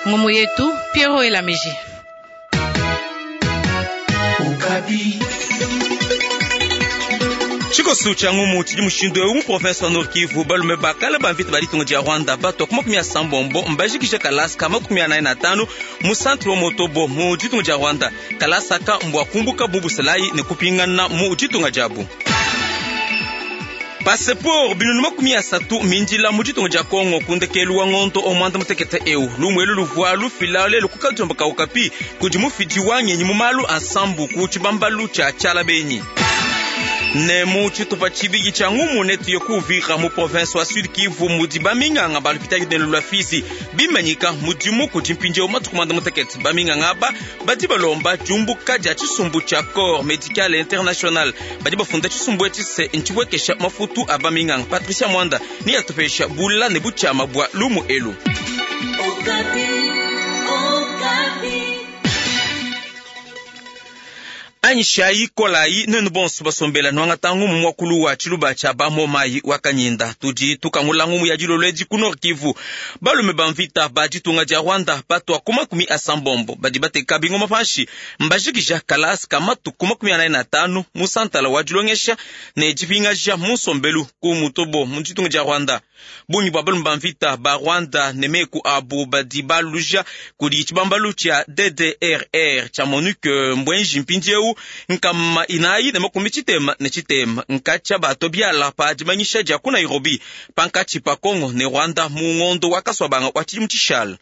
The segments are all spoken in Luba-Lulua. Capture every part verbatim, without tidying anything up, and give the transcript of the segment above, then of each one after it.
Ngumu yetu Piero Elamiji. Tshikoso tshia ngumu tshidi mushindu eu mu province wa Nord Kivu, balume bakala ba mvita ba ditunga dia Rwanda batua ku makumi asambombo mbajikija kalasa ka makumi anayi na atanu mu centre wa Motobo mu ditunga dia Rwanda. Kalasa aka mbua kumbuka mu busalayi ne kupingana mu ditunga diabu. Passeport binunu makumi asatu mindila mu ditunga dia Kongo ku ndekelu wa ngondo o mwanda mutekete eu. Lumu elu luvua lufila lelu ku kadiomba ka Okapi kudi mufidi wa ngenyi mu malu a nsambu ku tshibambalu tshia Tshialabenyi. Ne mu tshitupa tshibidi tshia ngumu netuye ku Uvira mu province wa Sud Kivu mudi baminganga ba lupitadi ne lua Fizi bimanyika mudimu kudi mpindieu matuku mwanda mutekete. Baminganga aba badi balomba diumbuka dia tshisumbu tshia Corps Medical International. Badi bafunda tshisumbu etshi se ntshipuekesha mafutu a baminganga. Patricia Mwanda ni atupesha bula ne butshiama bua lumu elu. Anyishayi kolayi nenu bonso basombela nwangata ngumu mwakulu wa tshiluba tshia bamomayi wa kanyinda. Tudi tukangula ngumu ya dilolo edi ku Nord Kivu. Balume ba mvita ba ditunga dia Rwanda batua ku makumi asambombo badi bateka bingoma panshi mbajikija kalasa ka matuku makumi anayi na atanu mu santala wa dilongesha ne dipingaja mu nsombelu ku Mutobo mu ditunga dia Rwanda. Bungi bua balume ba mvita ba Rwanda ne meku abu badi baluja kudi tshibambalu tshia D D R R tshia MONUC mbwenji mpindieu nkama inayi ne makumi tshitema ne tshitema nkatshia bato biala pa dimanyisha dia ku Nairobi pankatshi pa Kongo ne Rwanda mu ngondo wa kaswabanga wa tshidimu tshishala.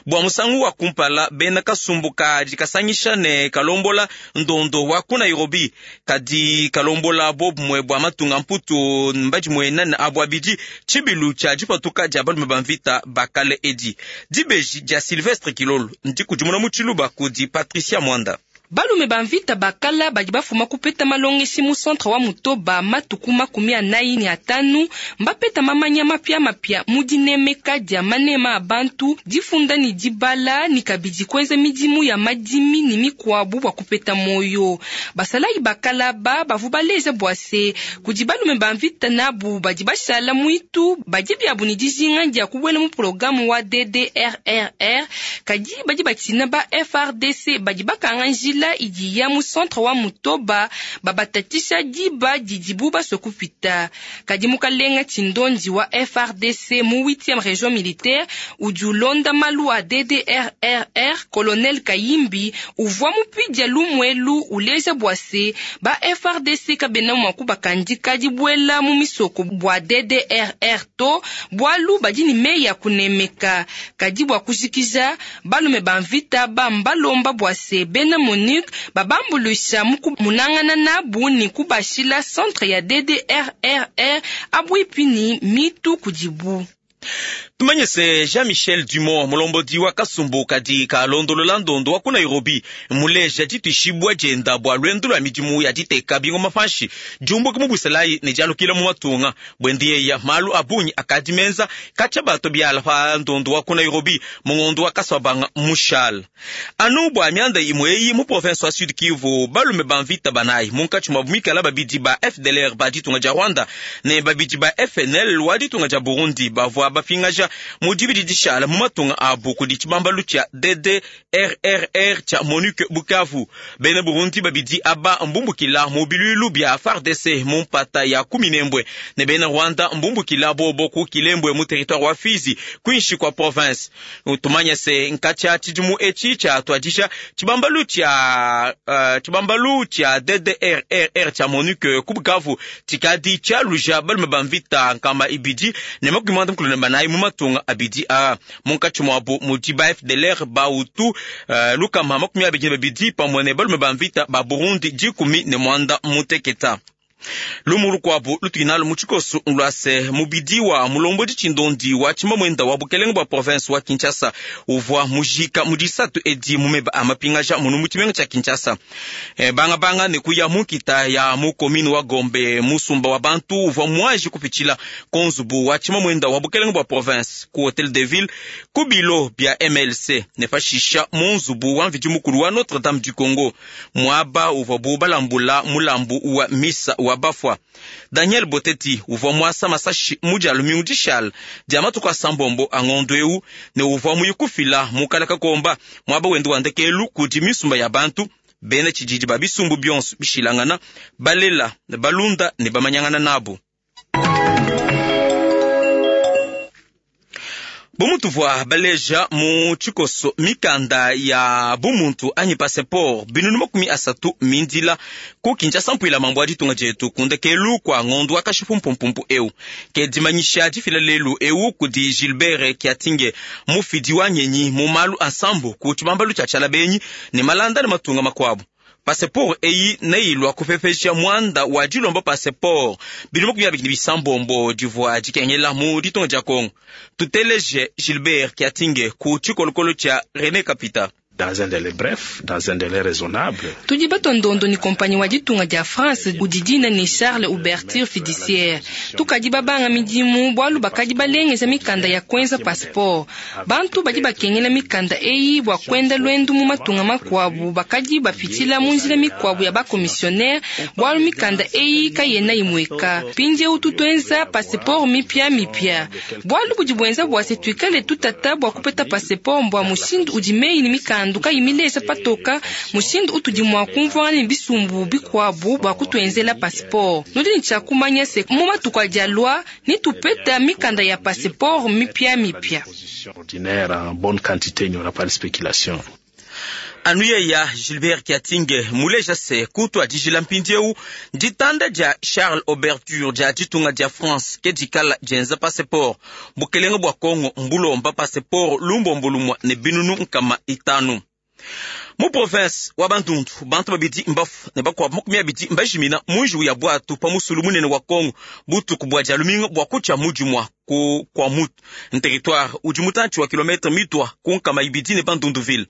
Bua musangu wa kumpala bena kasumbu kadi kasangisha ne kalombola ndondo wa ku Nairobi kadi kalombola bobumwe bua matunga mputu mbadimuena ne abu abidi tshibilu tshia dipatuka dia balume ba mvita bakale edi. Dibeji dia Sylvestre Kilolo ndikudimuna mu tshiluba kudi Patricia Mwanda. Balume ba mvita bakala badi bafuma kupeta malongeshi mu centre wa Mutoba matuku makumi anayi ne atanu mbapeta mamanya mapia mapia mu dinemeka dia manema a bantu difunda ne dibala ne kabidi kuenza midimu ya madimi ne mikuabu bua kupeta moyo. Basalayi bakala ba bavu baleja bua se kudi balume ba mvita nabu badi bashala muitu badi biabu ne dijinga dia kubuela mu programu wa D D R R R kadi badi batina ba F R D C badi bakanga njila idi ya mu centre wa Mutoba babatatisha diba didibu baswe kupita. Kadi mukalenga tshindondi wa F R D C mu huitième région militaire udi ulonda malu a D D R R R Colonel Kayimbi uvua mupidia lumwelu uleja bua se ba F R D C kabena mua kubakandika dibuela mu misoko bua D D R R to bualu badi ne meyi ya kunemeka. Kadi bua kujikija balume ba mvita bambalomba bua se bena MONUC babambulusha munangana nabu ni kubashila centre ya D D R R R abuipi ni mitu kudibu. Tumanye se Jean-Michel Dumont mulombodi wa kasumbu kadi kalondolola ndondo wa ku Nairobi muleja dituishibua dienda bua lwendo lwa midimu ya diteka bingoma panshi diumbuka mu busalayi ne dialukila mu matunga bwendiyeya malu abunyi akadi menza katshia bato biala pa ndondo wa ku Nairobi mu ngondo wa kaswabanga mushala. Anu bua mianda imwe eyi mu province wa Sud Kivu balume ba mvita banayi munkatshi mua bumikala babidi ba F D L R ba ditunga dia Rwanda ne babidi ba F N L wa ditunga dia Burundi bavua bapingaja mu dibidi dishala mu matunga abu kudi tshibambalu tshia D D R R R tshia MONUC Bukavu. Bena Burundi babidi aba mbumbukila mu bilulu bia F A R D C mu mpata ya Kuminembwe ne bena Rwanda mbumbukila bobo ku Kilembwe mu territoire wa Fizi kwinshi kwa province. Tumanya se nkatshia tshidimu etshi tshia tuadisha tshibambalu tshia, uh, tshibambalu tshia D D R R R tshia MONUC ku Bukavu tshikadi tshialuja balume ba mvita nkama ibidi ne makumi muanda mukulu ne banayi mu matunga abidi a munkatshi muabu mudi ba F D L R ba Hutu, uh, lukama makumi abidi ne babidi pamue ne balume ba mvita ba Burundi dikumi ne muanda muteketa. Lumu lukuabu lutuinalo mu tshikoso lua se mubidi wa mulombodi tshindondi wa tshimamwenda wa bukelenge bua province wa Kinshasa uvua mujika mu disatu edi mu meba a mapingaja munu mu tshimenga tshia Kinshasa. E, banga banga ne kuya mu nkita ya mu commune wa Gombe musumba wa bantu uvua muaji kupitshila konzubu wa tshimamwenda wa bukelenge bua province ku Hotel de Ville ku bilo bia M L C ne pashisha mu nzubu wa mvidi mukulu wa Notre Dame du Congo muaba uvua bu balambula mulambu wa misa wa wa bafwa. Daniel Boteti uvwa mwasa masashi mu lumingu dishala dia matuku asambombo a ngondo eu ne uvwa muyikufila mukala kakomba mwaba wende wa ndekelu kudi misumba ya bantu bena tshididi ba bisumbu bionso bishilangana balela ne balunda ne bamanyangana nabo. Bomutuvwa baleja mu tshikoso mikanda ya bumuntu anyi passeport binunu makumi asatu mindila ku Kinshasa mpuila mambo a ditunga dietu kundekelu kwa ngondo akashipu mpumpumpu eu ke dimanyisha difila lelu eu kudi Gilbert Kiatinge mufidi wa nyenyi mu malu ansambu ku tshibambalu tshia tshialabenyi ne malanda ne matunga makuabu. Passeport eyi neilwa kupepesha mwanda wa dilomba passeport bino makumi abidi ne bisambombo divua dikengela mu ditunga dia Kongo. Tuteleje Gilbert Kiatinge ku tshikolokolo tshia René Kapita. Dans un délai bref, dans un délai raisonnable. Tudi batondondo ni kompanyi wa ditunga dia France udidina ni Charles Ouverture Fiduciaire. Tukadi babanga midimu bwalu bakadi balengeza mikanda ya kwenza passeport. Bantu badi bakengela mikanda eyi bwa kwenda lwendu mu matunga makwabu bakadi bapitila mu nzila mikwabu ya ba commissionnaire bwalu mikanda eyi kayena imweka. Pindie ututwenza passeport mipya mipya. Bwalu budi bwenza bwa se tuikale tutata bwa kupeta passeport mbwa mushindu udi meyi ni mikanda nduka yimilesa patoka mushindu utudi mwa kumvwana ne bisumbu bikwabu bwa kutwenzela passeport. Nudi ni tshia kumanya se mu matuku adi alua ni tupeta mikanda ya passeport mipya mipya. Ordinaire en bonne quantité, il n'y aura pas de spéculation. Anuye ya Gilbert Kiatinge muleja se kutwa dijila mpindieu ditanda dia Charles Oberture dia ditunga dia France ke dikala dienza passeport bukelenge bwa Kongo mbulomba passeport lumbombo lumwa ne binunu nkama itanu. Mu province wa Bandundu bantu babidi mbafu ne bakwabu makumi abidi mbajimina munju ya bwatu pa musulu munene wa Kongo butuku bwa dia lumingu bwa kutshia mujumwa ku kwa mutu territoire udi mutantshi wa kilometre mitwa ku nkama ibidi ne Bandunduville.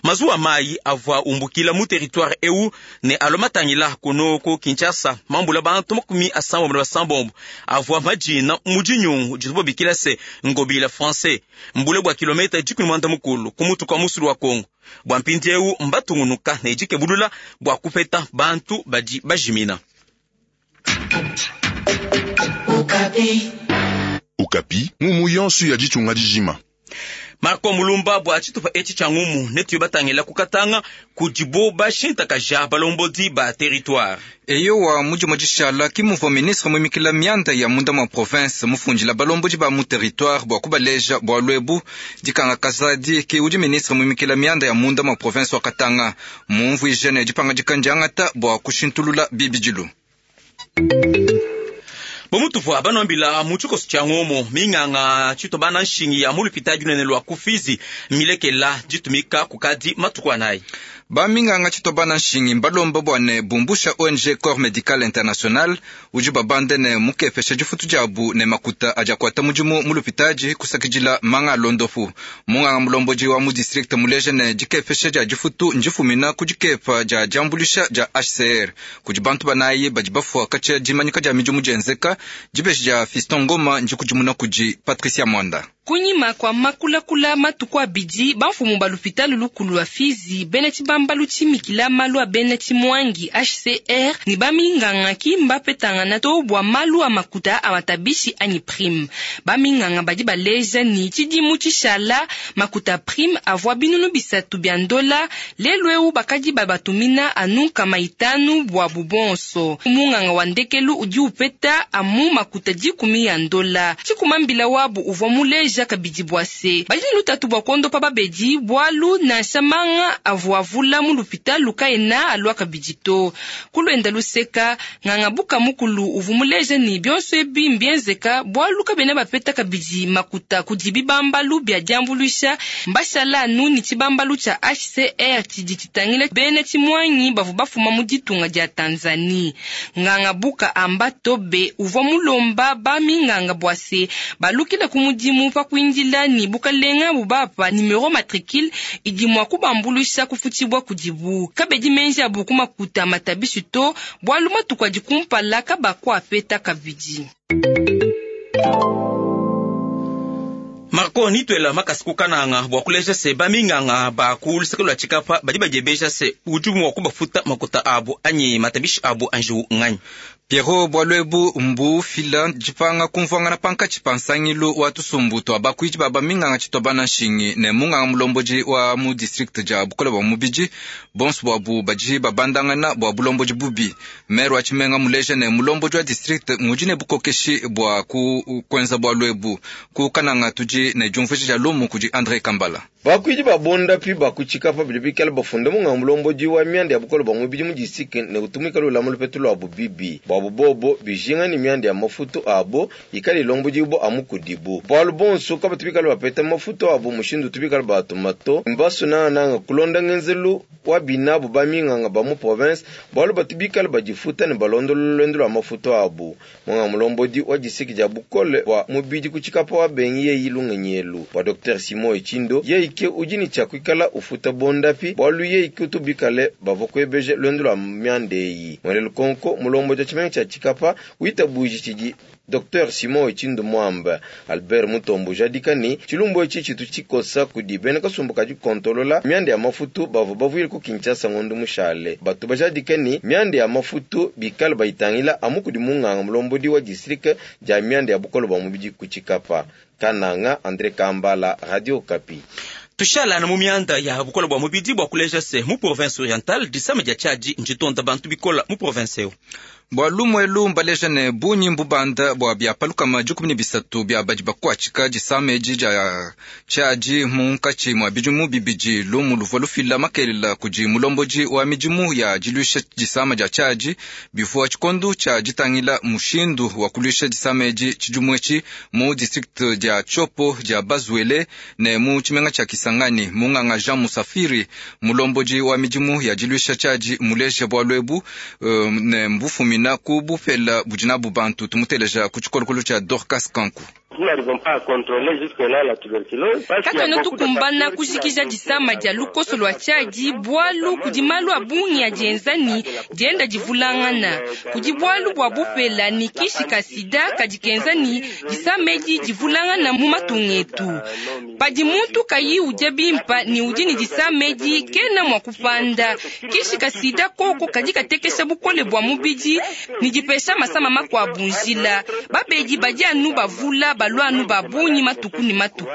Mazuwa mayi avua umbukila mu territoire eu ne alomatangila kuno ku Kinshasa mambula bantu makumi asambombo na basambombo avua majina mu dinyungu ditubo bikila se ngobila français mbule bwa kilometre dikumi mwanda mukulu ku mutu kwa musulu wa Kongo. Bwa mpindiewu mbatungunuka ne dikebulula bwa kupeta bantu badi bajimina. Okapi. Okapi, ngumu yonso ya ditunga dijima. Marco Mulumba bwa tshitupa etshi tshia ngumu netu batangila kukatanga kudibo bashintakaja balombodi ba territoire. Eyo wa mujimo dishala kimuvo ministre mwimikila mianda ya munda mwa province mufundila balombodi ba mu territoire bwa kubaleja bwa lwebu dikanga kazadi ki udi ministre mwimikila mianda ya munda mwa province wa Katanga mumvuije ne dipanga dikandiangata bwa kushintulula bibidilu. Bomutuvwa banwambila mu tshikoso tshia ngomo minganga tshitobana nshingi ya mulupita dinene lwa kufizi milekela ditumika kukadi matuku anayi. Ba minganga tshitobana nshingi mbalomba bwane bumbusha O N G Corps Medical International udi babande ne mukepesha difutu diabu ne makuta adi akwata mudimu mulupitaji kusakidila manga alondopu. Munganga mulombodi wa mu district muleje ne dikepesha dia difutu ndifumina ku dikepa dia diambulisha dia H C R kudi bantu banayi badi bafua katshia dimanyika dia midimu dienzeka dibeji dia Fiston Ngoma ndikudimuna kudi Patricia Mwanda. Kunyima kwa makulakula matuku abidi bamfumu ba lupitalo lukulu lwa Fizi bena tshibambalu tshimikila malu a bena tshimwangi H C R ni baminganga ki mbapetangana to bwa malu a makuta a matabishi anyi prime. Baminganga badi baleja ni tshidimu tshishala makuta prime avua binunu bisatu bia ndola lelu eu bakadi babatumina anu nkama itanu bwa bubonso. Munganga wa ndekelu udi upeta amu makuta dikumi ya ndola. Tshikumambila wabu uvua muleja kabidi bwase badi lutatu bwa kondo pa babedi bwalu na shamanga avuavula mu lupitalo kaena alwa kabidi to kulwenda luseka nganga buka mukulu uvumuleje ni bionso ebi mbienzeka bwalu kabena bapeta kabidi makuta kudi bibambalu bya diambuluisha mbashala anu ni tshibambalu tsha H C R tshidi tshitangila bena tshimwanyi bavu bafuma mu ditunga dia Tanzanie. Nganga buka amba tobe uvua mulomba baminganga bwase balukila ku mudimu pa kuindila ni bukalenga bubapa numero matricule idi mwa kubambuluisha kufutibwa kudibu kabedi menji abu kumakuta matabishi to bwalu matuku adi kumpala kabakwa apeta kabidi. Marco nitwela makasi kukananga bwa kuleja se baminganga ba kulusaka lwa tshikapa badi badiebeja se udi mua kubafuta makuta abu anyi matabishi abu anju nganyi. Pierrot bwalwebu mbufila dipanga kumvuangana pankatshi pa nsangilu wa tusumbu twa bakuidi ba baminganga tshitwa bana nshingi ne munganga mulombodi wa mu district dia bukole bwa mubidi bonso bwabu badi babandangana bwa bulombodi bubi. Maire wa tshimenga muleja ne mulombodi wa district ngudi ne bukokeshi bwa ku kwenza bwalwebu ku kananga tudi ne diumvuija dia lumu kudi André Kambala. Bakuidi babondapi bakuchikapa bidi bikala bafunda munganga mulombodi wa mianda ya bukole bwa mubidi mu district ne kutumika lulama lupetu lwabu bibi bwabu bobo bijinga ni mianda ya mafutu abo ikali lombodi bo amukudibu bwalu bonso kaba tubikala bapeta mafutu abo mushindu tubikala batumato mbasu nananga kulonda ngenzelu wa binabu baminganga ba mu province bwalu batubikala badifuta ne balondolo lwendo lwa mafutu abo munganga mulombodi wa district dia bukole bwa mubidi kuchikapa wa bengi yeyi lungenyelu bwa Docteur Simon Echindo yeyi ke udi tshia kuikala ufuta bondapi bwalu yeyi ke utubikale bavua kuebeje lwendo lwa mianda eyi mwene lukonko mulombodi wa tshimenga tshia Tshikapa witabuji tshidi Docteur Simon Echindo Mwamba Albert Mutombo jadikani chilumbu echi chitu chikosa kudi bena kasumbu kadi kontolola mianda ya mafutu bavua bavuile ku Kinshasa ngondo mushale batu bajadikani mianda ya mafutu bikala bayitangila amu kudi munganga mulombodi wa district dia mianda ya bukolo bwa mubidi ku Tshikapa. Kananga, André Kambala, Radio Okapi. Tushala na mu mianda ya bukola bwa mubidi bwa kuleja se mu province orientale disama dia tshadi njitonda bantu bikola mu province eo. Bwa lumwelu mbaleja ne bunyi mbubanda bwa bya palukama dikumi ne bisatu bya badi bakuatshika disama edi dia tshadi munkatshi mua bidimu bibidi lumu luvua lufila makelela kudi mulombodi wa midimu ya diluisha disama dia tshadi bivua tshikondo tshia ditangila mushindu wa kuluisha disama edi tshidimu etshi mu district dia Tshopo dia Bazuele ne mu tshimenga tshia Kisangani. Munganga Jean Musafiri mulombodi wa midimu ya diluisha tshadi muleja bwalu ebu uh, ne mbufumina ku bupela budi nabu bantu tumuteleja ku tshikolokolo tshia Dorcas Kanku. Katuena tukumbana kujikija disama dia lukoso lua tshiadi bwalu kudi malu a bungi adienza ni dienda divulangana kudi bwalu bua bupela ni kishi ka sida kadi kenza ni disama edi divulangana mu matunga etu padi muntu kayi udia bimpa ni udi ni disama edi kena mua kupanda kishi ka sida koko kadi katekesha bukole bua mubidi ni dipesha masama makuabu njila babedi badi anu bavula balwa anu babunyi matuku ni matuku.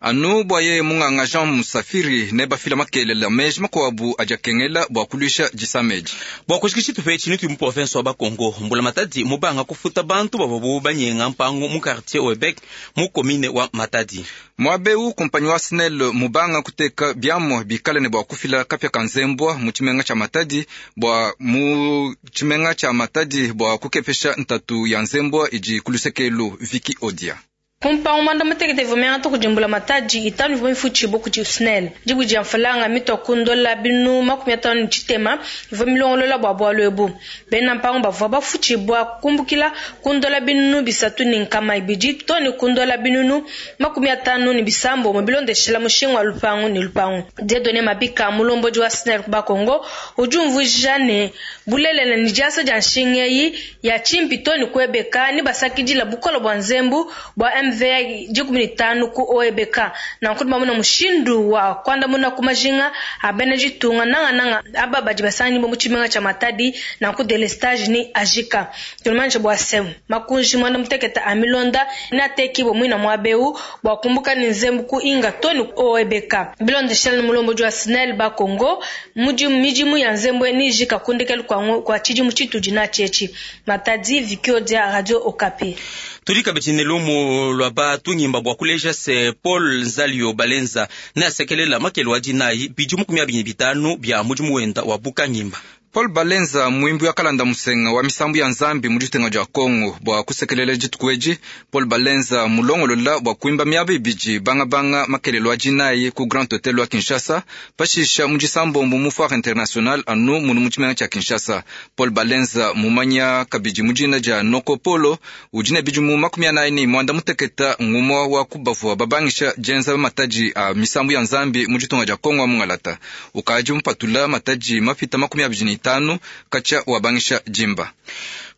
Anu bwa ye munganga Jean Musafiri ne bafila makelela meji makuabu adiakengela bwa kuluisha disama edi. Bwa kushikisha tupe tshini tu mu province wa Bakongo mbula Matadi mubanga kufuta bantu bavua banyenga mpango mu quartier Oebek mu commune wa Matadi. Mwabeu kompanyi wa SNEL mubanga kuteka biamwa bikale ne bwa kufila kapya ka nzembwa mu tshimenga tshia Matadi bwa mu tshimenga tshia Matadi bwa kukepesha ntatu ya nzembwa idi kulusekelu Viki Odia. Kumpango mwanda mutekete vumyanga tukudimbula matadi itanu ivua mifutshibo kudi SNEL dibu dia mfalanga mitua kundola binu makumi atanu ne tshitema ivua milongolola bua bualu ebu bena mpango bavua bafutshibua kumbukila kundola binunu bisatu ne nkama ibidi to ne kundola binunu makumi atanu ne bisambo mu bilondeshela mushinga wa lupangu ne lupangu. Dieudonné Mabika mulombodi wa SNEL ku Bakongo udi umvuija ne bulelela ne diasa dia nshinga eyi ya tshimpi to ne kuebeka ne basakidila bukole bua nzembu bua M V A dikumi ne tanu ku O E B K nanku bamuna mushindu wa kuandamuna ku majinga a bena ditunga nangananga aba badi basanganyibwa mu tshimenga tshia Matadi nanku delestage ni ajika tulumanyisha bua se makunji mwanda muteketa a milonda ne atekibwa mwina mwabeu bua kumbuka ni nzembu ku inga to ni O E B K bilondeshela ni mulombodi wa SNEL Bakongo mudimu midimu ya nzembu ni ijika kundekelu kwa kwa tshidimu tshitudi na tshietshi. Matadi, Viki Odia, Radio Okapi. Tulika betine lumu lwa batu nyimba bwa kuleja se Paul Nzalio Balenza ne asekelela makelo adi nayi bidimu makumi abiri ne bitanu bia mudimu wenda wa buka nyimba. Paul Balenza mwimbi wa kalanda musenga wa misambu ya nzambi mu ditenga dia Kongo bua kusekelela dituku edi. Paul Balenza mulongolola bua kuimba miaba ibidi bangabanga makelelo adi nayi ku Grand Hotel wa Kinshasa pashisha mu disambombo mu Foire Internationale anu munu mu tshimenga tshia Kinshasa. Paul Balenza mumanya kabidi mu dina dia Noko Polo udi ne bidimu makumi anayi ne mwanda muteketa ngumwa wa kubavua babangisha dienza matadi a misambu ya nzambi mu ditunga dia Kongo wa mungalata ukadi mupatula matadi mapita makumi abidi ne tano kacha wabangisha jimba.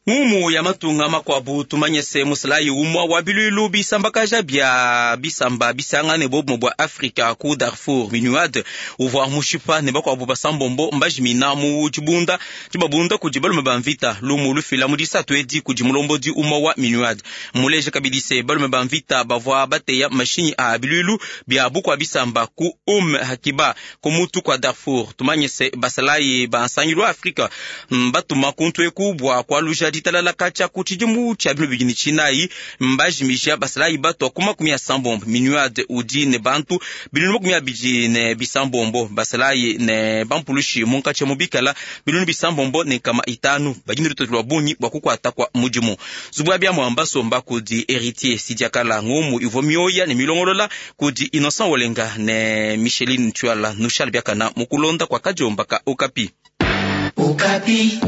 Ngumu ya matunga makwabu tumanye se musalayi umwa wa bilwilu bisambakaja bya bisamba bisangane bobumo bwa Afrika ku Darfur Minuad uvwa mushipa ne bakwabu basambombo mbajimina mu dibunda dibabunda kudi balume ba mvita lumu lufila mu disatu edi kudi mulombodi umwa wa Minuad muleje kabidi se balume ba mvita bavwa bateya mashinyi a bilwilu bya bukwa bisamba ku Um Hakiba ku mutu kwa Darfur tumanye se basalayi ba nsangilu wa Afrika mbatuma kuntu eku bwa kwaluja ditalala kacha ku tshidimu tshia bino bidi ne tshinayi mbajimisha basalayi batwa ku makumi ya sambombo Minuad udi ne bantu binunu makumi abidi ne bisambombo basalayi ne bampulushi munkatshi mubikala binunu bisambombo ne nkama itanu badi ne lutoto lwa bungi bwa kukwata kwa mudimu zubu ya biamua mbasomba kudi Héritier Sidiakala ngumu ivua mioya ne milongolola kudi Innocent Olenga ne Micheline Tshuala Nushal Biakana mukulonda kwa kadiomba ka Okapi. Okapi.